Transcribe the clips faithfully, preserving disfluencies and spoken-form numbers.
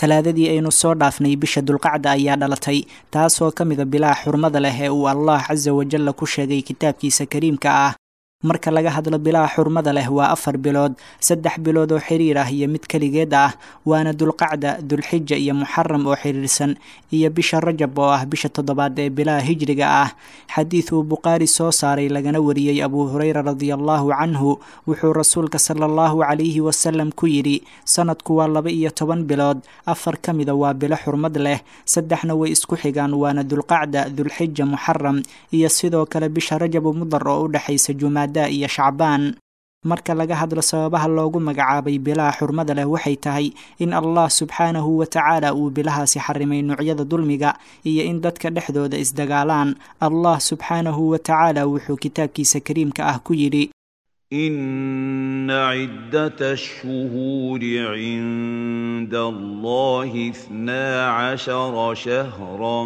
Talaadadii aynu soo dhaafnay, bisha Dulqacda ayaa dhalatay, taasoo ka mida bilaha xurmada leh ee uu Allah casa wajalla ku sheegay kitaabkiisa kariimka ah. Marka laga hadlo bilaha xurmada leh, waa afar bilood, saddex bilood oo xiriir ah iyo mid keligeed ah, waana Dulqacda, Dulxija iyo Muxaram oo xiriirsan, iyo bisha Rajab oo ah bisha toddobaad ee bilaha hijriga ah. Xadiid uu Bukhaari soo saaray lagana wariyey Abuu Hureyra radiallahu canhu, wuxuu Rasuulka sala allahu calayhi wasalam ku yidhi: sanadku waa laba iyo toban bilood, afar ka mida waa bilo xurmad leh, saddexna way isku xigaan, waana Dulqacda, Dulxija, Muxaram iyo sidoo kale bisha Rajabu Mudar oo u dhexaysa Jumaada iyo Shacbaan. Marka laga hadlo sababaha loogu magacaabay bilaha xurmada leh, waxay tahay in Allah subxaanahu wa tacaala uu bilahaasi xarimay noocyada dulmiga iyo in dadka dhexdooda isdagaalaan. Allah subxaanahu wa tacaala wuxuu kitaabkiisa kariimka ah ku yidhi: إن عدة الشهور عند الله اثنا عشر شهرا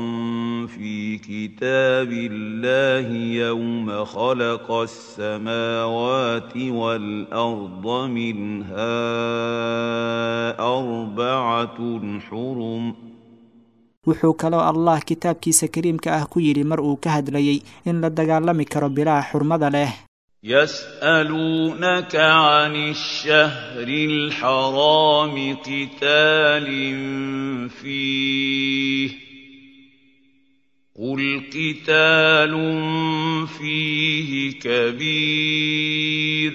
في كتاب الله يوم خلق السماوات والأرض منها أربعة حرم. Wuxuu kaloo Allah kitaabkiisa kariimka ah ku yidhi mar uu ka hadlayey in la dagaalami karo bilaha xurmada leh: يسألونك عن الشهر الحرام قتال فيه، قل قتال فيه كبير.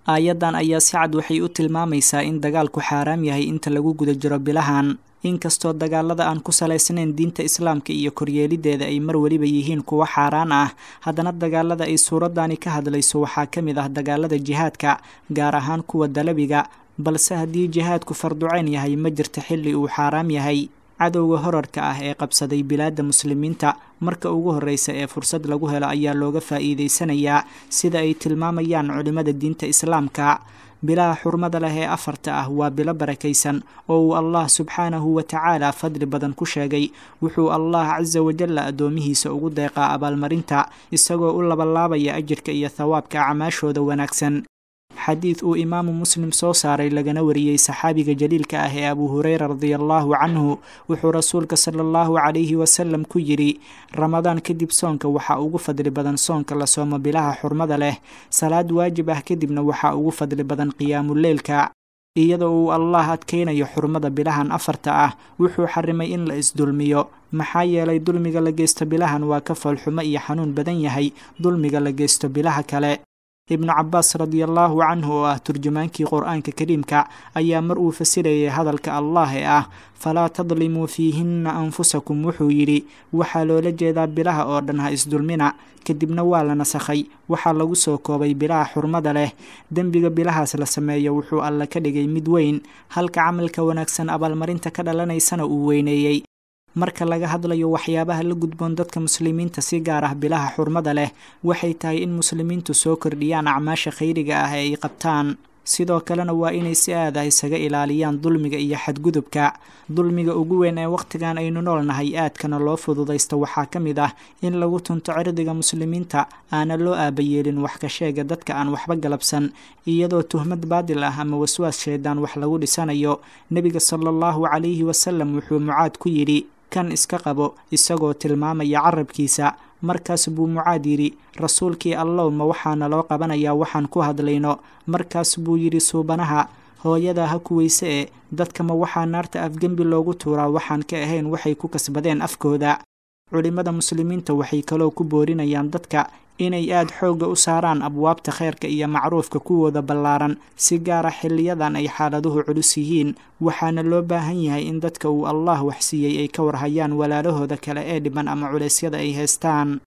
Aayaddan ayaa si cad waxay u tilmaamaysaa in dagaalku xaaraam yahay inta lagu guda jiro bilahan. Inkastoo dagaalada aan ku salaysnayn diinta Islaamka iyo koryeelideeda ay mar weliba yihiin kuwo xaaraan ah, haddana dagaalada ay suuradani ka hadlayso waxaa ka mid ah dagaalada jihaadka, gaar ahaan kuwa dalabiga. Balse haddii jihaadku farduceyn yahay, ma jirta xilli uu xaaraam yahay. Cadowga horarka ah ee qabsaday bilaadda muslimiinta, marka ugu horreysa ee fursad lagu helo ayaa looga faa'iidaysanayaa, sida ay tilmaamayaan culimmada diinta Islaamka. Bilaha xurmada leh ee afarta ah waa bilo barakaysan oo uu Allah subxaanahu wa tacaala fadli badan ku sheegay. Wuxuu Allah casa wajalla addoomihiisa ugu deeqaa abaalmarinta, isagoo u labalaabaya ajirka iyo thawaabka acmaashooda wanaagsan. Xadiid uu Imaamu Muslim soo saaray lagana wariyey saxaabiga jaliilka ah ee Abuu Hureyra radiallahu canhu, wuxuu Rasuulka sala allahu calayhi wasalam ku yidhi: Ramadaan kadib soonka waxaa ugu fadli badan soonka la soomo bilaha xurmada leh, salaad waajib ah kadibna waxaa ugu fadli badan qiyaamuleylka. Iyadoo uu Allah adkaynayo xurmada bilahan afarta ah, wuxuu xarimay in la isdulmiyo, maxaa yeelay dulmiga la geysto bilahan waa ka foolxumo iyo xanuun badan yahay dulmiga la geysto bilaha kale. Ibnu Cabaas radiallahu canhu oo ah turjumaankii Qur-aanka kariimka ayaa mar uu fasirayay hadalka Allah ee ah falaa tadlimuu fiihinna anfusakum wuxuu yidhi: waxaa loola jeedaa bilaha oo dhan ha isdulmina. Kadibna waa la nasakhay, waxaa lagu soo koobay bilaha xurmada leh. Dembiga bilahaas la sameeyo wuxuu Alle ka dhigay mid weyn, halka camalka wanaagsan abaalmarinta ka dhalanaysana uu weyneeyey. Marka laga hadlayo waxyaabaha la gudboon dadka muslimiinta si gaar ah bilaha xurmada leh, waxay tahay in muslimiintu soo kordhiyaan acmaasha khayriga ah ee ay qabtaan. Sidoo kalena waa inay si aad ah isaga ilaaliyaan dulmiga iyo xadgudubka. Dulmiga ugu weyn ee wakhtigan aynu noolnahay aadkana loo fududaysto waxaa ka mid ah in lagu tunto cirdiga muslimiinta, aana loo aabayeelin wax ka sheega dadka aan waxba galabsan, iyadoo tuhmad baadil ah ama waswaas shaydaan wax lagu dhisanayo. Nebiga sala allahu calayhi wasalam wuxuu Mucaad ku yidhi: kan iska qabo, isagoo tilmaamaya carabkiisa. Markaas buu Mucaad yidhi: Rasuulkii Allow, ma waxaana loo qabanayaa waxaan ku hadlayno? Markaas buu yidhi Suubanaha: hooyadaa ha kuweyse, e dadka ma waxaa naarta afgembi loogu tuuraa waxaan ka ahayn waxay ku kasbadeen afkooda? Culimmada muslimiinta waxay kaloo ku boorinayaan dadka inay aad xoogga u saaraan abwaabta khayrka iyo macruufka kuwooda ballaaran, si gaara xilliyadan ay xaaladuhu culus yihiin. Waxaana loo baahan yahay in dadka uu Allah waxsiiyey ay ka warhayaan walaalahooda kale ee dhiban ama culeysyada ay haystaan.